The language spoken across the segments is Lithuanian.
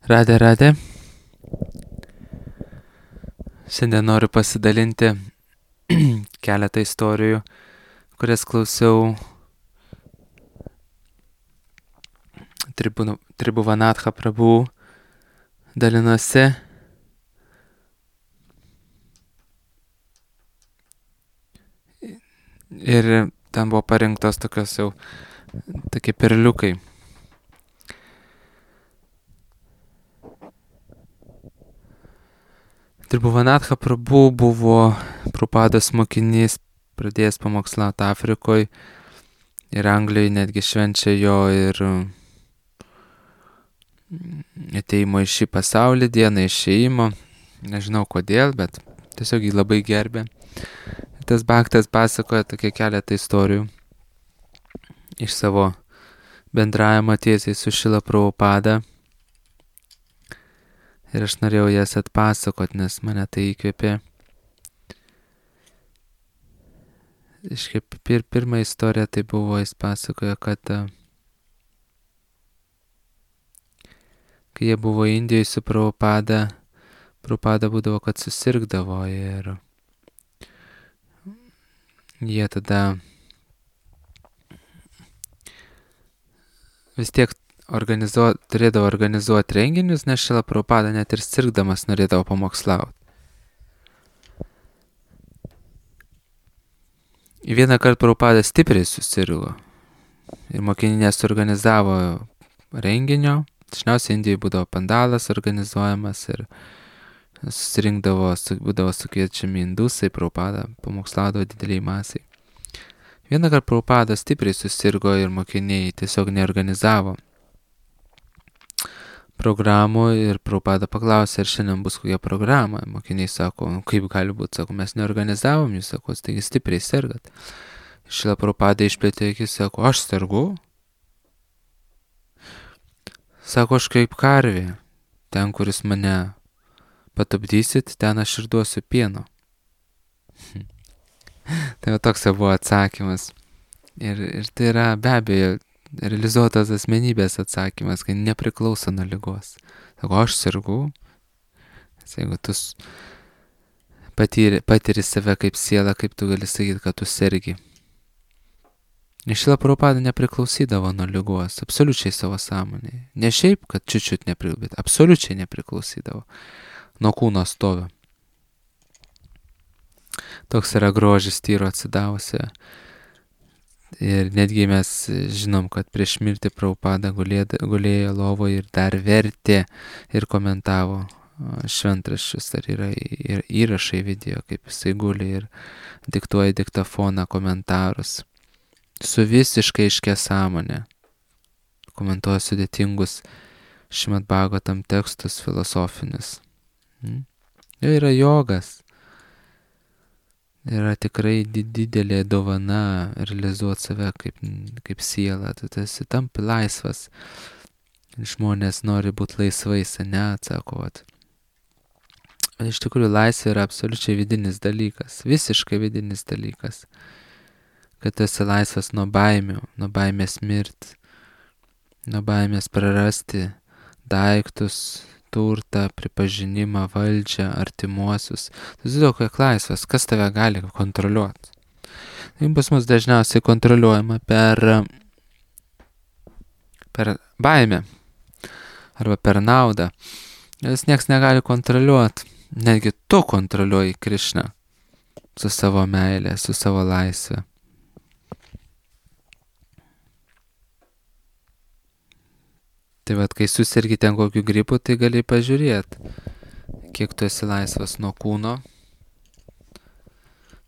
Radė. Šiandien noriu pasidalinti keletą istorijų, kurias klausiau Tribhuvanatha Prabhu dalinosi. Ir ten buvo parinktos tokie perliukai. Tribhuvanatha Prabhu buvo Prabhupados mokinys, pradėjęs pamokslauti Afrikoje ir Anglijoje, netgi švenčia jo ir ateimo į šį pasaulį, dieną išėjimo. Nežinau kodėl, bet tiesiog jį labai gerbė. Tas bhaktas pasakoja tokie keletą istorijų iš savo bendravimo tiesiai su Šrila Prabhupada. Ir aš norėjau jas atpasakot, nes mane tai įkvėpė. Pirma istorija tai buvo, jis pasakojo, kad kai jie buvo Indijoje su Prabhupada būdavo, kad susirgdavo ir jie tada vis tiek turėdavo organizuoti renginius, nes Šrila Prabhupada net ir sirgdamas norėdavo pamokslauti. Vieną kartą Prabhupada stipriai susirgo ir mokiniai nesuorganizavo renginio. Dažniausiai Indijoje būdavo pandalas organizuojamas ir būdavo sukviečiami indusai, Prabhupada pamokslaudavo dideliai masiai. Vieną kartą Prabhupada stipriai susirgo ir mokiniai tiesiog neorganizavo programų ir Prabhupada paklausė, ar šiandien bus kokia programa. Mokiniai sako, kaip gali būti, sako, mes neorganizavom, jūs sako, taigi stipriai sergat. Šrila Prabhupada išplėtė akis, sako, aš sergu. Sako, aš kaip karvė, ten, kuris mane patupdysit, ten aš ir duosiu pieno. Tai toks buvo atsakymas. Ir tai yra be abejo realizuotas asmenybės atsakymas, kai nepriklauso nuo ligos. Sako, aš sergu. Jeigu tu patiri save kaip siela, kaip tu gali sakyti, kad tu sergi. Šrila Prabhupada nepriklausydavo nuo ligos, absoliučiai savo sąmonėje. Ne šiaip, kad čiut nepriklausydavo, bet absoliučiai nepriklausydavo nuo kūno stovio. Toks yra grožis tyro atsidavusio. Ir netgi mes žinom, kad prieš mirtį Prabhupada gulėjo lovoje ir dar vertė ir komentavo šventraščius. Ar yra ir įrašai video, kaip jisai guli ir diktuoja diktafoną komentarus. Su visiškai aiškia sąmonė. Komentuoja sudėtingus Šrimad Bhagavatam tekstus filosofinius. Jo yra jogas. Yra tikrai didelė dovana realizuoti save kaip siela. Tu esi tampi laisvas. Žmonės nori būti laisvais, ne, atsako. Iš tikrųjų, laisvė yra absoliučiai vidinis dalykas. Visiškai vidinis dalykas. Kad tu esi laisvas nuo baimių, nuo baimės mirti, nuo baimės prarasti daiktus, turtą, pripažinimą, valdžią, artimuosius. Tu esi tokia laisvas, kas tave gali kontroliuoti. Tai pas mus dažniausiai kontroliuojama per baimę arba per naudą. Nes nieks negali kontroliuoti. Netgi tu kontroliuoji Krišną su savo meilė, su savo laisvė. Tai kai susirgi ten kokiu gripu, tai gali pažiūrėti, kiek tu esi laisvas nuo kūno.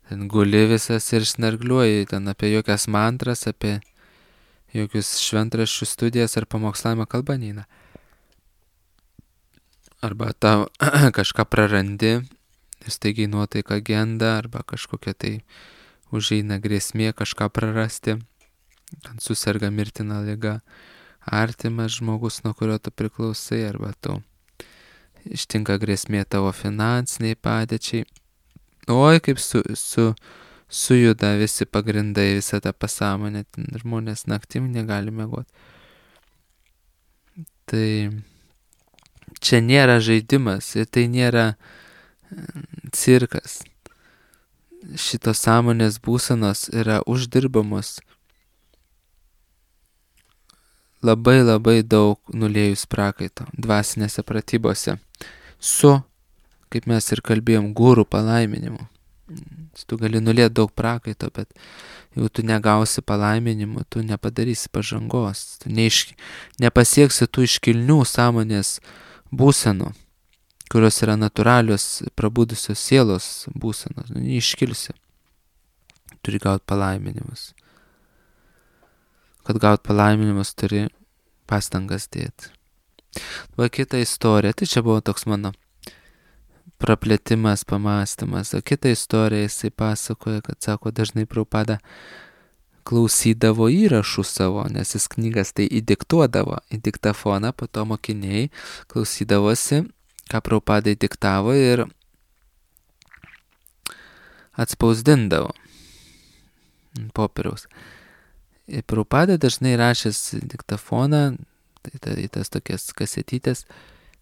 Ten guli visas ir snargliuoji ten apie jokias mantras, apie jokius šventraščių studijas ar pamokslavimą kalba neina. Arba tau kažką prarandi, staigiai nuotaika genda, arba kažkokia tai užeina grėsmė kažką prarasti, ten susirga mirtina liga. Artimas žmogus, nuo kurio tu priklausai, arba tu ištinka grėsmė tavo finansiniai padėčiai. Oi, kaip sujuda visi pagrindai, visa ta pasąmonė, žmonės naktim negali miegoti. Tai Čia nėra žaidimas ir tai nėra cirkas. Šitos sąmonės būsenos yra uždirbamos labai daug nuliejus prakaito dvasinėse pratybose su, kaip mes ir kalbėjom, gurų palaiminimu. Tu gali nulieti daug prakaito, bet jeigu tu negausi palaiminimo, tu nepadarysi pažangos, tu nepasieksi tų iškilnių sąmonės būsenų, kurios yra natūralios prabudusios sielos būsenos, neiškilsi. Turi gauti palaiminimus. Kad gaut palaiminimus, turi pastangas dėti. Va kita istorija, tai čia buvo toks mano praplėtimas, pamastymas. O kita istorija, jisai pasakoja, kad sako, dažnai Prabhupada klausydavo įrašų savo, nes jis knygas tai įdiktuodavo į diktafoną, po to mokiniai klausydavosi, ką Prabhupada diktavo ir atspausdindavo ant popieriaus. Ir Prabhupada dažnai rašęs diktafoną, tai į tas tokias kasetytės,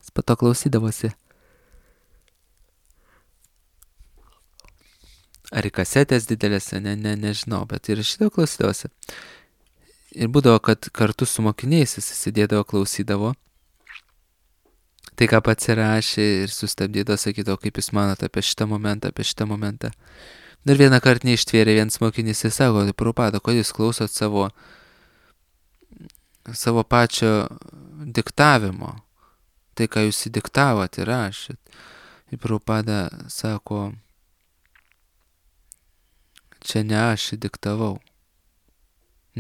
jis po to klausydavosi. Ar į kasetės didelėse, nežinau, bet ir šitą klausydavosi. Ir būdavo, kad kartu su mokiniais jis sėdėdavo, klausydavo. Tai, ką pats įrašė ir sustabdydavo, sakydavo, kaip jūs manote apie šitą momentą. Ir vieną kartą neištvėrė vienas mokinys ir sako, tai Prabhupada, kodėl jūs klausot savo pačio diktavimo, tai, ką jūs įdiktavot ir rašėt. Ir Prabhupada sako, čia ne aš įdiktavau,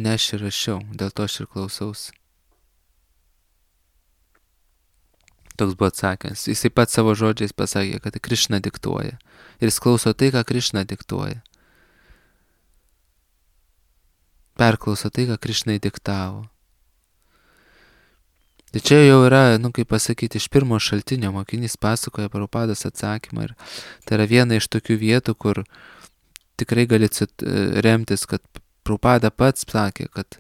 ne aš ir rašiau, dėl to aš ir klausausi. Toks buvo atsakęs. Jisai pats savo žodžiais pasakė, kad Krišna diktuoja. Ir jis klauso tai, ką Krišna diktuoja. Perklauso tai, ką Krišna įdiktavo. Tai čia jau yra, kaip pasakyti, iš pirmo šaltinio mokinys pasakoja Prabhupados atsakymą. Ir tai yra viena iš tokių vietų, kur tikrai gali remtis, kad Prabhupada pats sakė, kad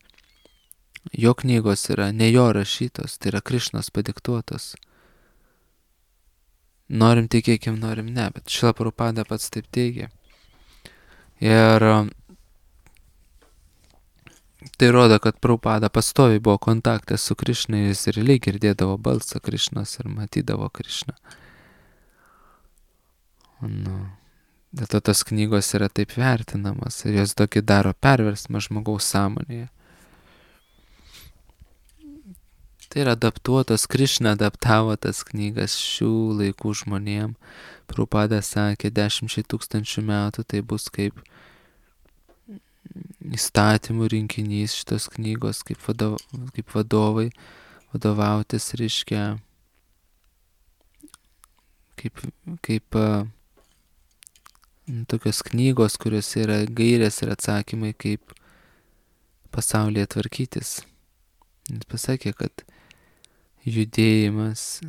jo knygos yra ne jo rašytos, tai yra Krišnos padiktuotos. Norim tikėkim, norim ne, bet Šrila Prabhupada pats taip teigia. Ir tai rodo, kad Prabhupada pastoviai buvo kontakte su Krišna, jis ir lyg girdėdavo balsą Krišnos ir matydavo Krišną. Dėl to tos knygos yra taip vertinamas ir jos tokį daro perversmą žmogaus sąmonėje. Tai yra adaptuotos, Krišna adaptavo tas knygas šių laikų žmonėm. Prabhupada sakė, 10 000 metų tai bus kaip įstatymų rinkinys šitos knygos, kaip vadovai vadovautis, reiškia, kaip tokios knygos, kuriuose yra gairės ir atsakymai, kaip pasaulyje tvarkytis. Jis pasakė, kad judėjimas,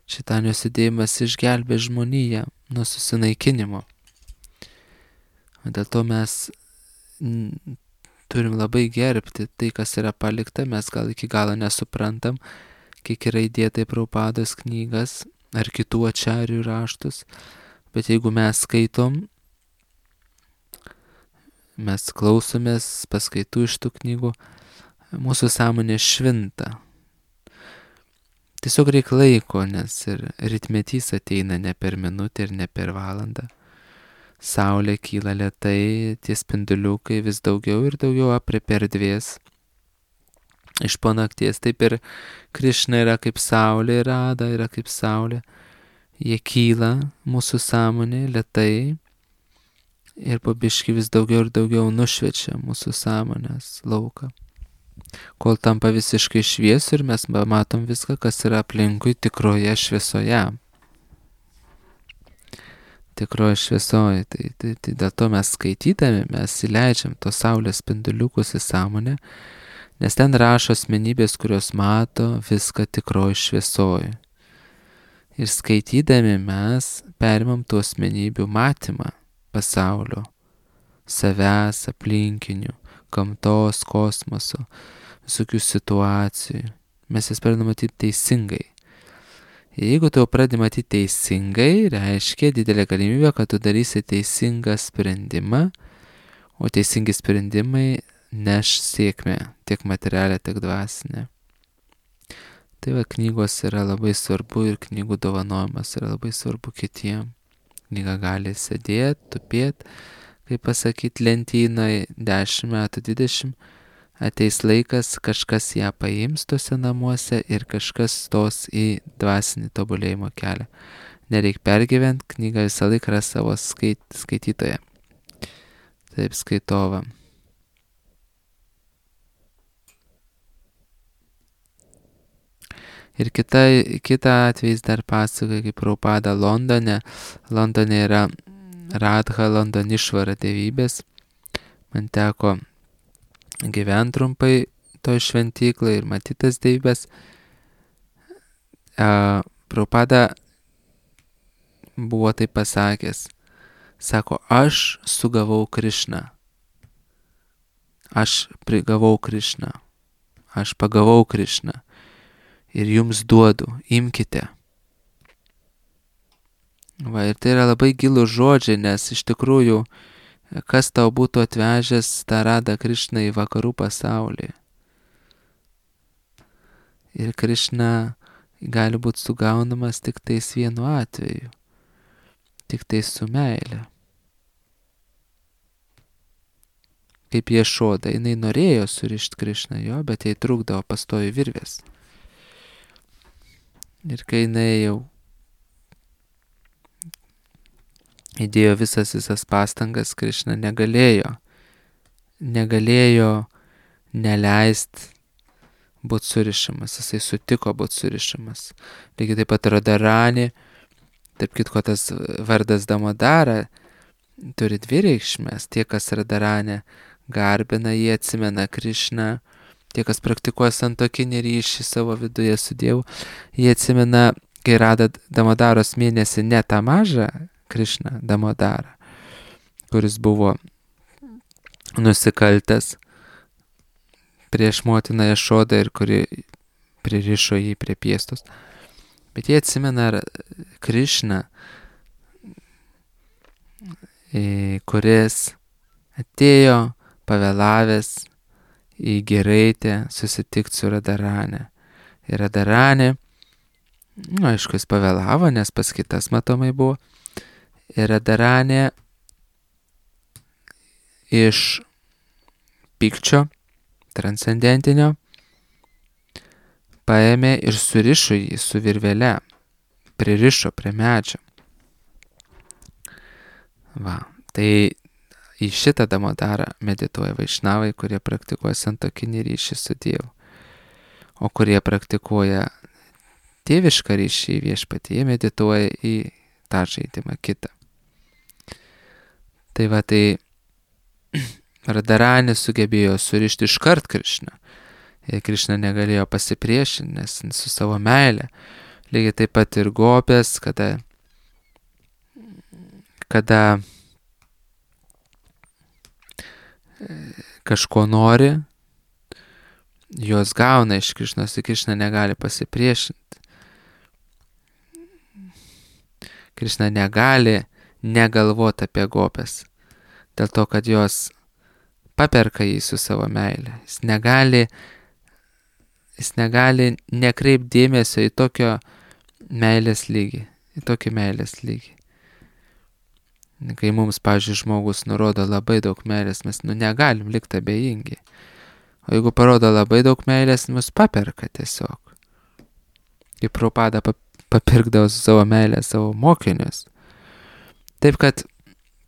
šitanijos judėjimas išgelbė žmoniją nuo susinaikinimo. Dėl to mes turim labai gerbti tai, kas yra palikta, mes gal iki galo nesuprantam, kiek yra įdėta į Prabhupados knygas ar kitų ačarių raštus, bet jeigu mes skaitom, mes klausomės paskaitų iš tų knygų, mūsų sąmonė švinta. Tiesiog reikia laiko, nes ir rytmetys ateina ne per minutę ir ne per valandą. Saulė kyla lėtai, tie spinduliukai vis daugiau ir daugiau aprėpia erdvės. Iš po nakties taip ir Krišna yra kaip saulė, Rada yra kaip saulė. Jie kyla mūsų sąmonė lėtai ir po biškį vis daugiau ir daugiau nušviečia mūsų sąmonės lauką. Kol tampa visiškai šviesu ir mes matom viską, kas yra aplinkui tikroje šviesoje. Tikroje šviesoje. Tai dėl to mes skaitydami, mes įleidžiam tos saulės spinduliukus į sąmonę, nes ten rašo asmenybės, kurios mato viską tikroje šviesoje. Ir skaitydami mes perimam tų asmenybių matymą pasaulio, savęs, aplinkinių, gamtos, kosmoso, visokių situacijų. Mes jas pradedame matyti teisingai. Jeigu tu pradedi matyti teisingai, reiškia didelė galimybė, kad tu darysi teisingą sprendimą, o teisingi sprendimai neš sėkmę, tiek materialę, tiek dvasinę. Tai va, knygos yra labai svarbu ir knygų dovanojimas yra labai svarbu kitiem. Knyga gali sėdėti, tupėti, kaip pasakyti, lentynoje 10 metų, 20, ateis laikas, kažkas ją paims tuose namuose ir kažkas stos į dvasinį tobulėjimo kelią. Nereik pergyventi, knyga visą laiką yra savo skaitytoje. Taip, skaitovą. Ir kita atvejs dar pasakoja, kaip Prabhupada Londone. Londone yra Radha Londonišvara dievybės. Man teko gyventi trumpai toj šventyklai ir matytas dievybės. Prabhupada buvo taip pasakęs. Sako, aš sugavau Krišną. Aš prigavau Krišną. Aš pagavau Krišną. Ir jums duodu, imkite. Va, ir tai yra labai gilūs žodžiai, nes iš tikrųjų, kas tau būtų atvežęs tą Radą Krišną į vakarų pasaulį. Ir Krišna gali būti sugaunamas tik tais vienu atveju. Tik tais su meile. Kaip Ješoda, jinai norėjo surišti Krišną jo, bet jai trukdavo pastovi virvės. Ir kai jinai jau įdėjo visas pastangas, Krišna negalėjo neleisti būti surišamas. Jisai sutiko būti surišamas. Lygiai taip pat Radharani, taip kitko tas vardas Damodara turi dvi reikšmės. Tie, kas Radharani garbina, jie atsimena Krišną. Tie, kas praktikuoja santuokinį ryšį savo viduje su Dievu, jie atsimena, kai rado Damodaros mėnesį ne tą mažą Krišną Damodarą, kuris buvo nusikaltęs prieš motiną Ješodą ir kuri pririšo jį prie piestos. Bet jie atsimena Krišną, kuris atėjo pavėlavęs į Giraitę susitikti su Radharani. Ir Radharani, aišku, jis pavėlavo, nes pas kitas matomai buvo. Ir Radharani iš pykčio transcendentinio paėmė ir surišo jį su virvele, pririšo prie medžio. Va, tai į šitą Damodarą medituoja vaišnavai, kurie praktikuoja santuokinį ryšį su Dievu. O kurie praktikuoja tėvišką ryšį į viešpatį, jie medituoja į tą žaidimą kitą. Tai va, tai Radharani sugebėjo surišti iškart Krišną. Ir Krišna negalėjo pasipriešinti, nes su savo meile. Lygiai taip pat ir gopės, kada kažko nori, jos gauna iš Krišnos, ir Krišna negali pasipriešinti. Krišna negali negalvoti apie gopės, dėl to, kad jos paperka jį su savo meile. Jis negali nekreipti dėmesio į tokį meilės lygį. Kai mums, pavyzdžiui, žmogus nurodo labai daug meilės, mes negalim likti abejingi. O jeigu parodo labai daug meilės, mus paperka tiesiog. Kaip Prabhupada papirkdavo su savo meilę savo mokinius. Taip kad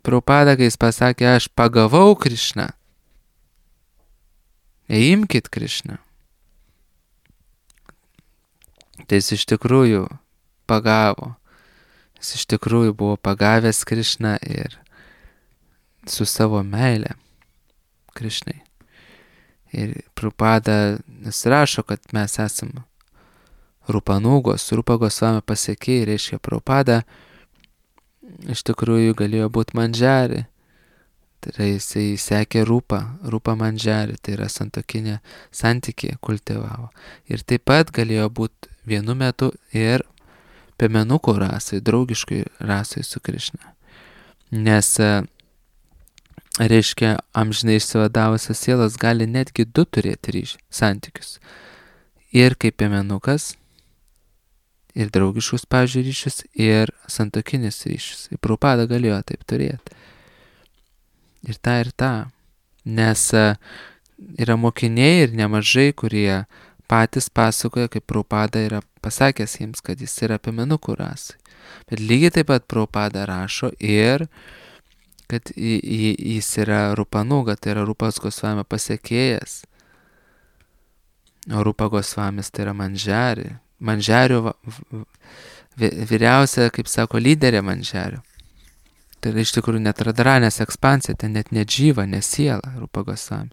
Prabhupada, kai jis pasakė, aš pagavau Krišną, imkit Krišną, tai jis iš tikrųjų pagavo. Jis iš tikrųjų buvo pagavęs Krišną ir su savo meile Krišnai. Ir Prabhupada nusirašo, kad mes esam Rupanugos, Rupa Gosvami pasiekėjai, reiškia Prabhupada iš tikrųjų galėjo būti Mandžari. Tai jisai sekė Rupa Mandžari, tai yra santuokinė santykį kultivavo. Ir taip pat galėjo būti vienu metu ir piemenukų rasai, draugiškai rasai su Krišna. Nes, reiškia, amžinai išsivadavusios sielos gali netgi du turėti santykius. Ir kaip piemenukas, ir draugiškus, pavyzdžiui, ryšius, ir santuokinis ryšius. Ir Prabhupada galėjo taip turėti. Ir tą. Nes yra mokiniai ir nemažai, kurie patys pasakoja, kaip Prabhupada yra pasakęs jiems, kad jis yra piemenukų rasai. Bet lygiai taip pat Prabhupada rašo ir kad jis yra Rupanuga, tai yra Rupas Gosvamio pasekėjas. O Rupa Gosvamis tai yra Manžari. Manžario vyriausia, kaip sako, lyderė Manžario. Tai yra iš tikrųjų net Radharanės ekspansija, tai net ne džyva, ne siela Rupa Gosvami.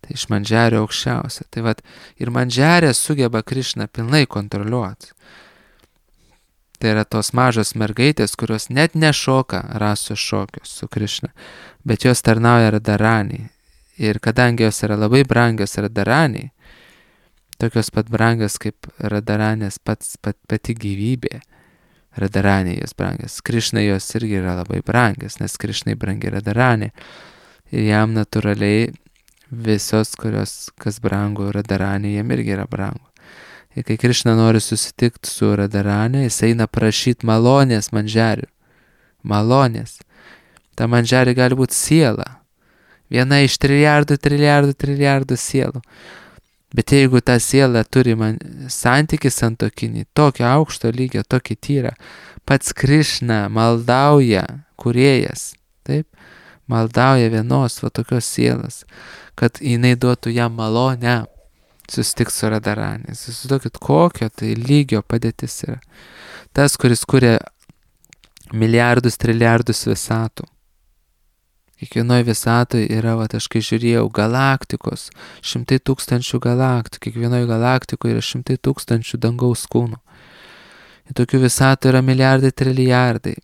Tai iš Manžario aukščiausia. Tai vat ir Manžarė sugeba Krišną pilnai kontroliuoti. Tai yra tos mažos mergaitės, kurios net nešoka rasų šokius su Krišna, bet jos tarnauja Radharaniai. Ir kadangi jos yra labai brangios Radharaniai, tokios pat brangios kaip Radharanės pati gyvybė, Radharaniai jos brangios. Krišnai jos irgi yra labai brangios, nes Krišnai brangi Radharanė. Ir jam natūraliai visos, kas brangu Radharanė, jam irgi yra brangu. Ir kai Krišna nori susitikti su Radharanė, jis eina prašyti malonės Manžarių. Malonės. Ta Manžarė gali būti siela. Viena iš triliardų sielų. Bet jeigu ta siela turi santykį santuokinį, tokio aukšto lygio, tokį tyrą, pats Krišna maldauja, kūrėjas, taip, maldauja vienos va tokios sielas, kad jinai duotų jam malonę susitikti su Radharanė. Įsivaizduokit, kokio tai lygio padėtis yra. Tas, kuris kuria milijardus, triliardus visatų. Kiekvienoje visatoje yra, aš kai žiūrėjau, galaktikos, 100 000 galaktikų, kiekvienoje galaktikoje yra 100 000 dangaus kūnų. Ir tokių visatų yra milijardai, trilijardai.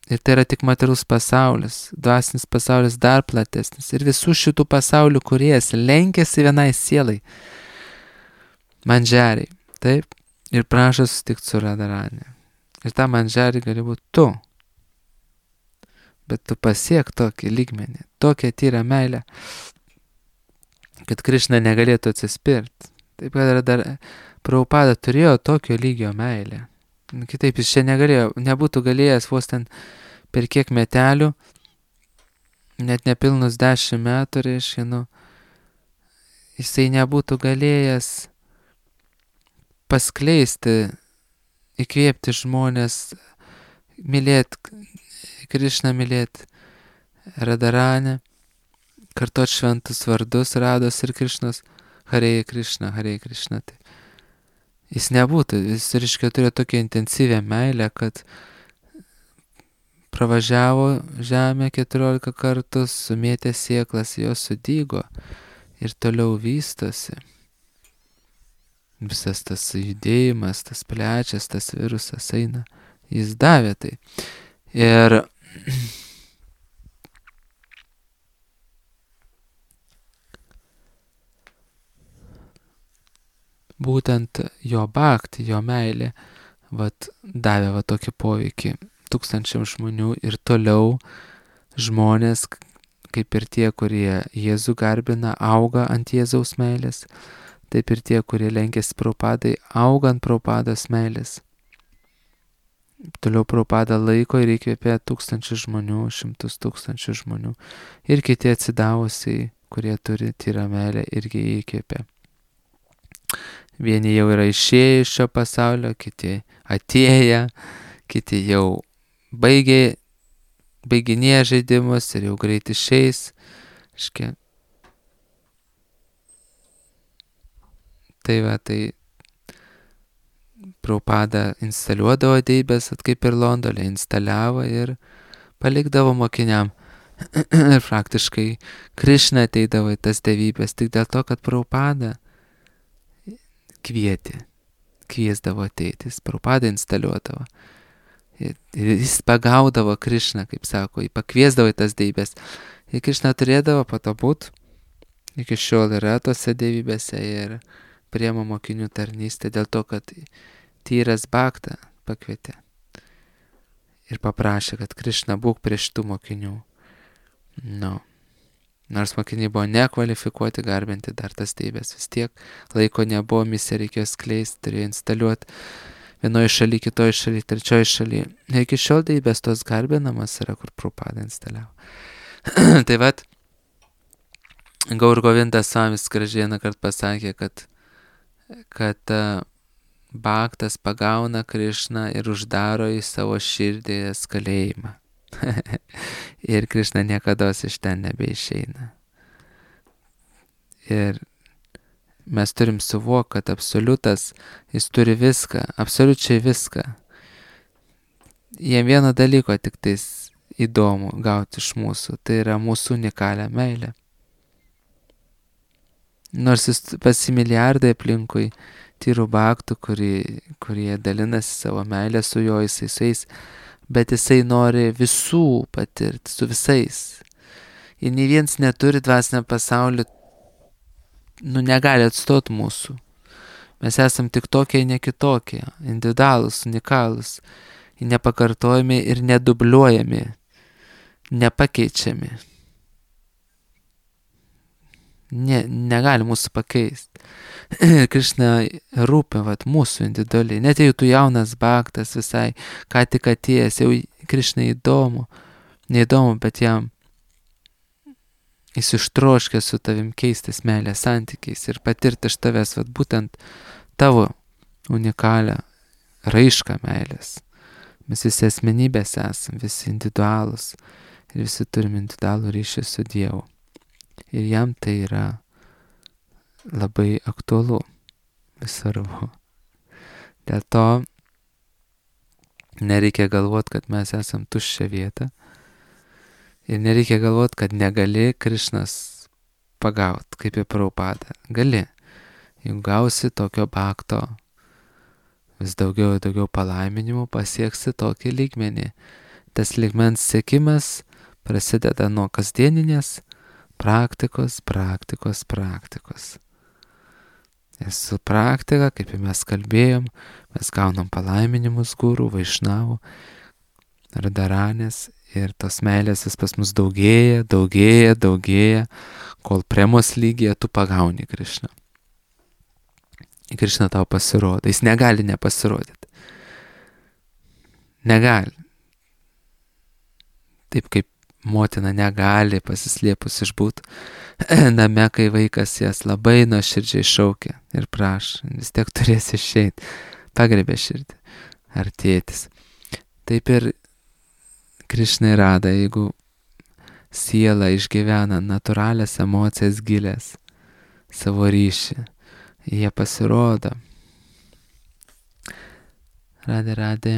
Ir tai yra tik materialus pasaulis, dvasinis pasaulis dar platesnis. Ir visų šitų pasaulių kūrėjas lenkiasi vienai sielai, Manžariai, taip, ir prašo susitikti su Radharanė. Ir ta Manžarė gali būti tu. Bet tu pasiek tokį lygmenį, tokią tyrą meilę, kad Krišna negalėtų atsispirti. Taip kad Prabhupada turėjo tokio lygio meilę. Kitaip jis čia nebūtų galėjęs vos ten per kiek metelių, net nepilnus 10 metų, reiškia, jisai nebūtų galėjęs paskleisti, įkvėpti žmonės, mylėti Krišną, mylėti Radharanę, kartot šventus vardus Rados ir Krišnos, Hare Krišna, Hare Krišna. Tai jis nebūtų, jis reiškia turėjo tokią intensyvę meilę, kad pravažiavo žemę 14 kartų, sumėtė sėklas, jos sudygo ir toliau vystosi. Visas tas judėjimas, tas plečias, tas virusas eina, jis davė tai. Ir būtent jo bhakti, jo meilė, davė tokį poveikį tūkstančiams žmonių ir toliau žmonės, kaip ir tie, kurie Jėzų garbina, auga ant Jėzaus meilės, taip ir tie, kurie lenkėsi Prabhupadai, auga ant Prabhupados meilės. Toliau Prabhupada laiko ir įkvėpė 1000 žmonių, 100 000 žmonių. Ir kiti atsidavusiai, kurie turi tyrą meilę, irgi įkvėpė. Vieni jau yra išėję iš šio pasaulio, kiti atėję, kiti jau baiginėja žaidimus ir jau greit išeis. Tai Prabhupada instaliuodavo deibės, kaip ir Londone, instaliavo ir palikdavo mokiniam. Ir praktiškai Krišna ateidavo į tas dievybės tik dėl to, kad Prabhupada kviesdavo ateiti, jis Prabhupada instaliuodavo. Ir jis pagaudavo Krišną, kaip sako, jį pakviesdavo į tas dievybės. Ir Krišna turėdavo po to būt, iki šiol yra tose dievybėse ir priema mokinių tarnystę dėl to, kad tyras bhakta, pakvietė. Ir paprašė, kad Krišna būk prieš tų mokinių. No. Nors mokiniai buvo nekvalifikuoti garbinti dar tas deibės, vis tiek laiko nebuvo, misiją reikėjo skleisti, turėjo instaliuoti vienoje šalyje, kitoje šalyje, trečioje šalyje. Iki šiol deibės tos garbinamas yra, kur Prabhupada instaliavo. Tai vat, Gaur Govindas Svamis gražiai vieną kartą pasakė, kad Bhaktas pagauna Krišną ir uždaro į savo širdės kalėjimą. Ir Krišna niekados iš ten nebeišeina. Ir mes turim suvokti, kad absoliutas, jis turi viską, absoliučiai viską. Jiem vieno dalyko tik tais įdomu gauti iš mūsų, tai yra mūsų unikalią meilę. Nors jis pasi milijardai aplinkui tyrų bhaktų, kurie dalinasi savo meilę su juo, jisai su jais, bet jisai nori visų patirti, su visais. Ir nei vienas neturi dvasinio pasaulio, negali atstoti mūsų. Mes esam tik tokie, ne kitokie, individualūs, unikalūs, nepakartojami ir nedubliuojami, nepakeičiami. Negali mūsų pakeisti. Krišna rūpi mūsų individualiai. Net jeigu tu jaunas bhaktas visai, ką tik atėjęs, jau Krišna neįdomu, bet jam jis ištroškė su tavim keistis meilės santykiais ir patirti iš tavęs būtent tavo unikalią raišką meilės. Mes visi asmenybės esam, visi individualūs ir visi turim individualų ryšį su Dievu. Ir jam tai yra labai aktualu, svarbu. Dėl to nereikia galvoti, kad mes esam tuščia vieta. Ir nereikia galvoti, kad negali Krišnas pagauti, kaip į Prabhupadą. Gali. Jeigu gausi tokio bhakto, vis daugiau ir daugiau palaiminimų, pasieksi tokį lygmenį. Tas lygmens siekimas prasideda nuo kasdieninės praktikos. Ir su praktika, kaip mes kalbėjom, mes gaunam palaiminimus gurų, vaišnavų, radaranės ir tos meilės vis pas mus daugėja, kol premos lygyje tu pagauni Krišną. Krišna tau pasirodo, jis negali nepasirodyti. Negali. Taip kaip motina negali pasislėpus išbūt name, kai vaikas jas labai nuoširdžiai šaukia ir prašo, vis tiek turės išeiti, pagriebė širdį, ar tėtis. Taip ir Krišnai rada, jeigu siela išgyvena natūralias emocijas gilės, savo ryšį, jie pasirodo. Radė.